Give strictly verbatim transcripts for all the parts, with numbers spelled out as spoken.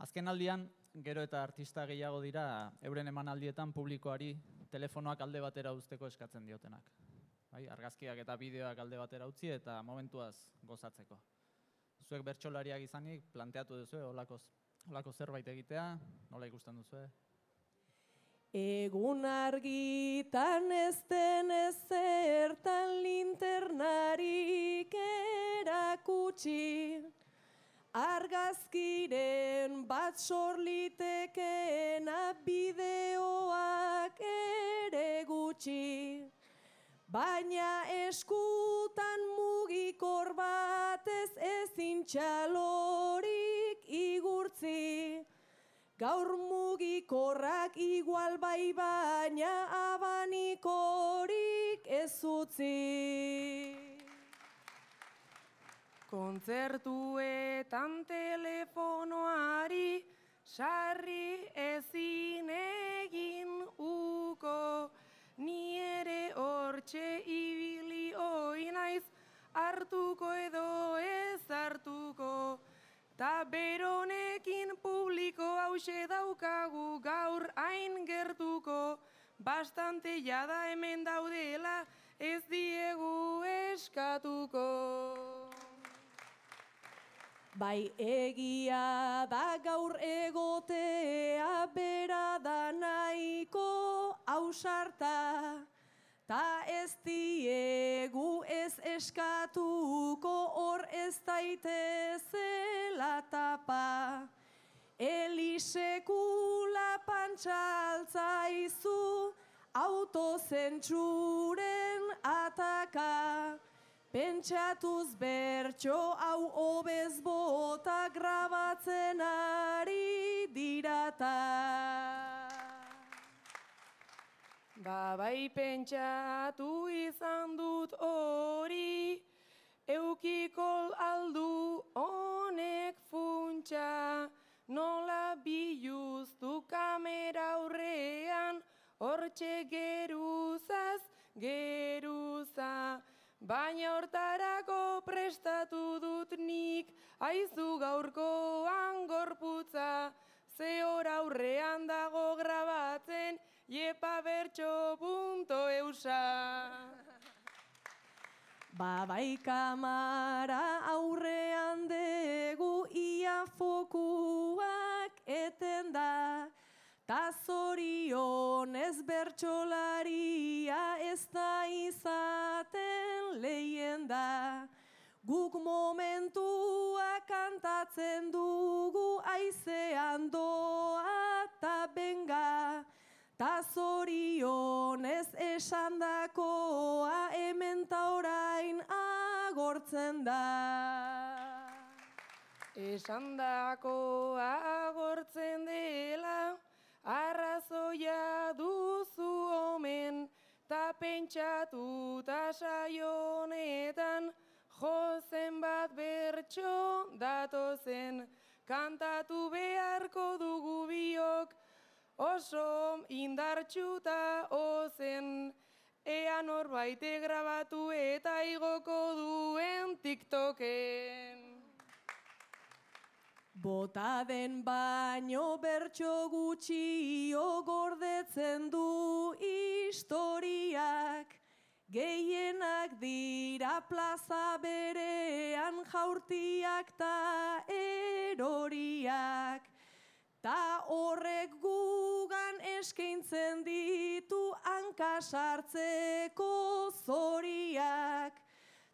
Azken aldian, gero eta artista gehiago dira euren emanaldietan publikoari telefonoak alde batera uzteko eskatzen diotenak. Bai, argazkiak eta bideoak alde batera utzi eta momentuaz gozatzeko. Zuek bertsolariak izanik planteatu duzu, holako, holako zerbait egitea, nola ikusten duzu? Egun argitan ez den ezertan linternarik erakutsi, argazkiren bat sorlitekeena bideoak ere gutxi, baina eskutan mugikor batez ezin txalorik igurtzi. Gaur mugikorrak igual bai baina abanikorik ez utzi. Kontzertuetan telefonoari sarri ezin egin uko, ni ere hortxe ibili oi naiz hartuko edo ez hartuko. Ta beronekin publiko hause daukagu gaur hain gertuko, bastante jada hemen daudela ez diegu eskatuko. Bai egia da gaur egotea bera da nahiko ausarta, ta ez diegu ez eskatuko hor ez daitezela tapa. Elisekula pantxaltzaizu autozentsuren ataka. Pentsatuz bertso hau obez bota grabatzen ari dirata. Ba bai pentsatu izan dut hori, eukiko aldu honek funtsa, nola biluztu kamera aurrean, hortxe geruzaz, geruza. Baina hortarako prestatu dut nik, aizu gaurkoan gorputza, ze hor aurrean dago grabatzen, Iepa bertso punto eusa. Ba bai kamara aurrean degu ia fokuak eten da, ta zorionez bertsolaria ez da izaten lehien-da. Guk momentua kantatzen dugu aizean doa ta benga, ta zorionez esandakoa hemen ta orain agortzen da. Esandakoa agortzen dela, arrazoia duzu omen, ta pentsatu ta saionetan, jozen bat bertso datozen, kantatu beharko dugu biok, oso indartxuta ozen, ea norbaite grabatu eta igoko duen TikToken. Bota den baino bertso gutxio gordetzen du historiak, gehienak dira plaza berean jaurtiak ta eroriak. Ta horrek gugan eskaintzen ditu hankasartzeko zoriak.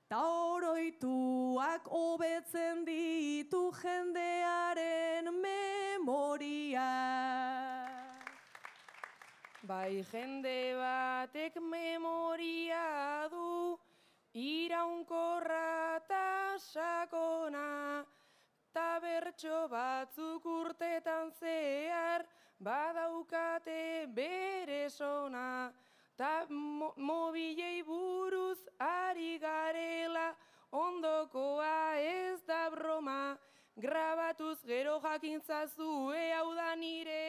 Ta oroituak hobetzen ditu jendearen memoria. Bai jende batek memoria du, iraunkorra ta sakona, ta bertso batzuk urtetan zehar badaukate bere sona, ta mo mobilei buruz ari garela, ondokoa ez da broma, grabatuz gero jakintzazue hau da nire